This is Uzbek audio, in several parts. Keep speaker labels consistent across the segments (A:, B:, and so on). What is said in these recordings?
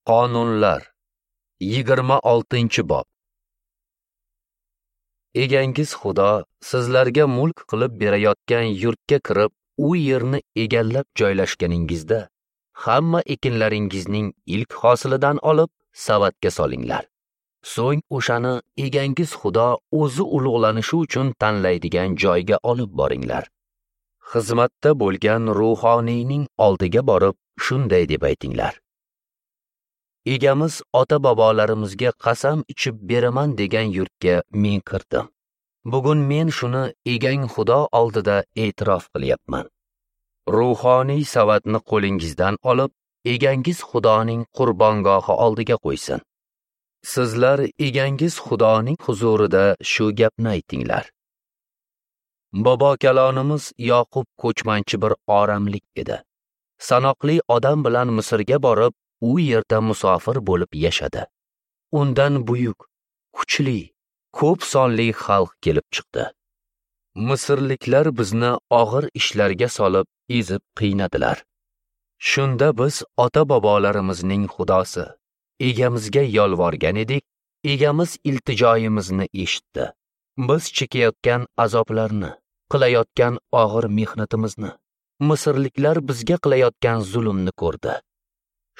A: Qonunlar 26-bob. Egangiz Xudo sizlarga mulk qilib berayotgan yurtga kirib, u yerni egallab joylashganingizda, hamma ekinlaringizning ilk hosilidan olib savatga solinglar. So'ng o'shani egangiz Xudo o'zi ulug'lanishi uchun tanlaydigan joyga olib boringlar. Xizmatda bo'lgan ruhoniyning oldiga borib, shunday deb aytinglar: Egamiz ota-bobolarimizga qasam ichib beraman degan yurtga men kirdim. Bugun men shuni egang Xudo oldida e'tirof qilyapman. Ruhoniy savatni qo'lingizdan olib, egangiz Xudoning qurbongohi oldiga qo'ysin. Sizlar egangiz Xudoning huzurida shu gapni aytinglar: Bobo kalonimiz Yoqub ko'chmanchi bir oramlik edi. Sanoqli odam bilan Misrga borib, u yerda musofir bo'lib yashadi. Undan buyuk, kuchli, ko'p sonli xalq kelib chiqdi. Misrliklar bizni og'ir ishlarga solib, ezib qiynadilar. Shunda biz ota-bobolarimizning Xudosi Egamizga yolvorgan edik. Egamiz iltijoyimizni eshitdi. Biz chekayotgan azoblarni, qilayotgan og'ir mehnatimizni, Misrliklar bizga qilayotgan zulmni ko'rdi.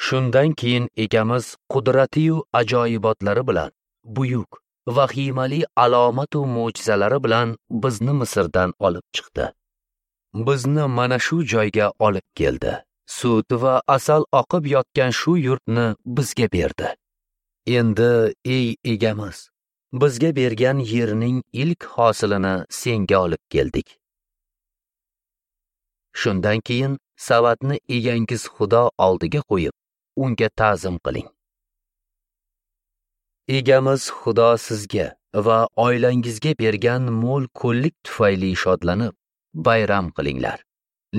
A: Shundan keyin egamiz qudrati-yu ajoyibotlari bilan, buyuk, vahimali alomat va mo'jizalari bilan bizni Misrdan olib chiqdi. Bizni mana shu joyga olib keldi. Sut va asal oqib yotgan shu yurtni bizga berdi. Endi ey egamiz, bizga bergan yerning ilk hosilini senga olib keldik. Shundan keyin savatni egangiz Xudo oldiga qo'yib, unga ta'zim qiling. Egamiz Xudo sizga va oilangizga bergan mo'l-ko'llik tufayli shodlanib, bayram qilinglar.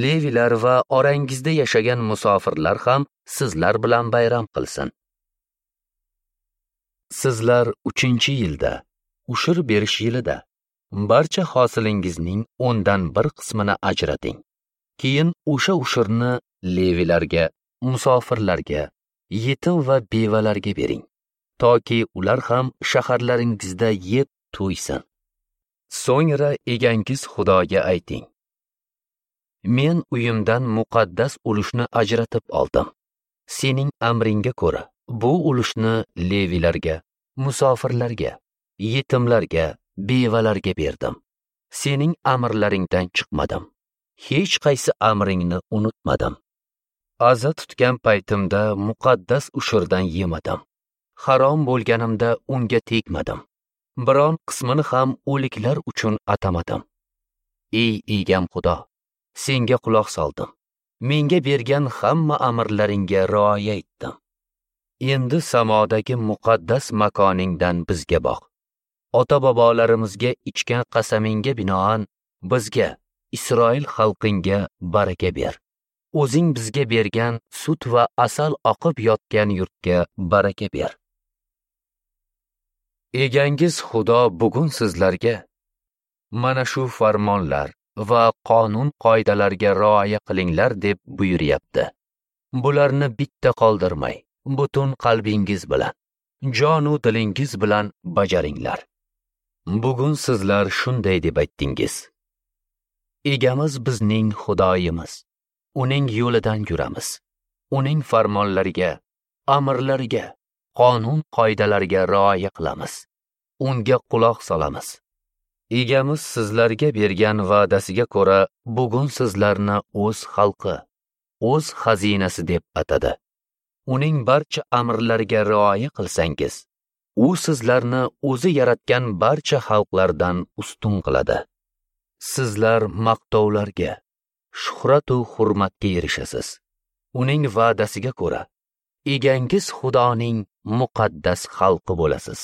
A: Levilar va orangizda yashagan musofirlar ham sizlar bilan bayram qilsin. Sizlar 3-yilda, ushur berish yilida barcha hosilingizning 1/10 qismini ajrating. Keyin o'sha ushurni levilarga, musofirlarga, yetim va bevalarga bering, toki ular ham shaharlaringizda yeb to'ysin. So'ngra egangiz Xudoga ayting: Men uyimdan muqaddas ulushni ajratib oldim. Sening amringga ko'ra bu ulushni levilarga, musofirlarga, yetimlarga, bevalarga berdim. Sening amrlaringdan chiqmadim. Hech qaysi amringni unutmadim. Aza tutgan paytimda muqaddas ushurdan yemadim. Harom bo'lganimda unga tegmadim. Biron qismini ham o'liklar uchun atamadim. Ey egam Xudo, senga quloq soldim. Menga bergan hamma amrlaringga rioya etdim. Endi samodagi muqaddas makoningdan bizga boq. Ota-bobolarimizga ichgan qasamingga binoan bizga, Isroil xalqingga baraka ber. O'zing bizga bergan sut va asal oqib yotgan yurtga baraka ber. Egangiz Xudo bugun sizlarga mana shu farmonlar va qonun qoidalarga rioya qilinglar deb buyuryapti. Bularni bitta qoldirmay, butun qalbingiz bilan, jonu dilingiz bilan bajaringlar. Bugun sizlar shunday deb aytdingiz: Egamiz bizning Xudoyimiz. Uning yo'lidan yuramiz. Uning farmonlariga, amrlariga, qonun qoidalariga rioya qilamiz. Unga quloq solamiz. Egamiz sizlarga bergan va'dasiga ko'ra bugun sizlarni o'z xalqi, o'z xazinasi deb atadi. Uning barcha amrlariga rioya qilsangiz, u sizlarni o'zi yaratgan barcha xalqlardan ustun qiladi. Sizlar maqtovlarga, shuhrat va hurmatga erishasiz. Uning va'dasiga ko'ra, egangiz Xudoning muqaddas xalqi bo'lasiz.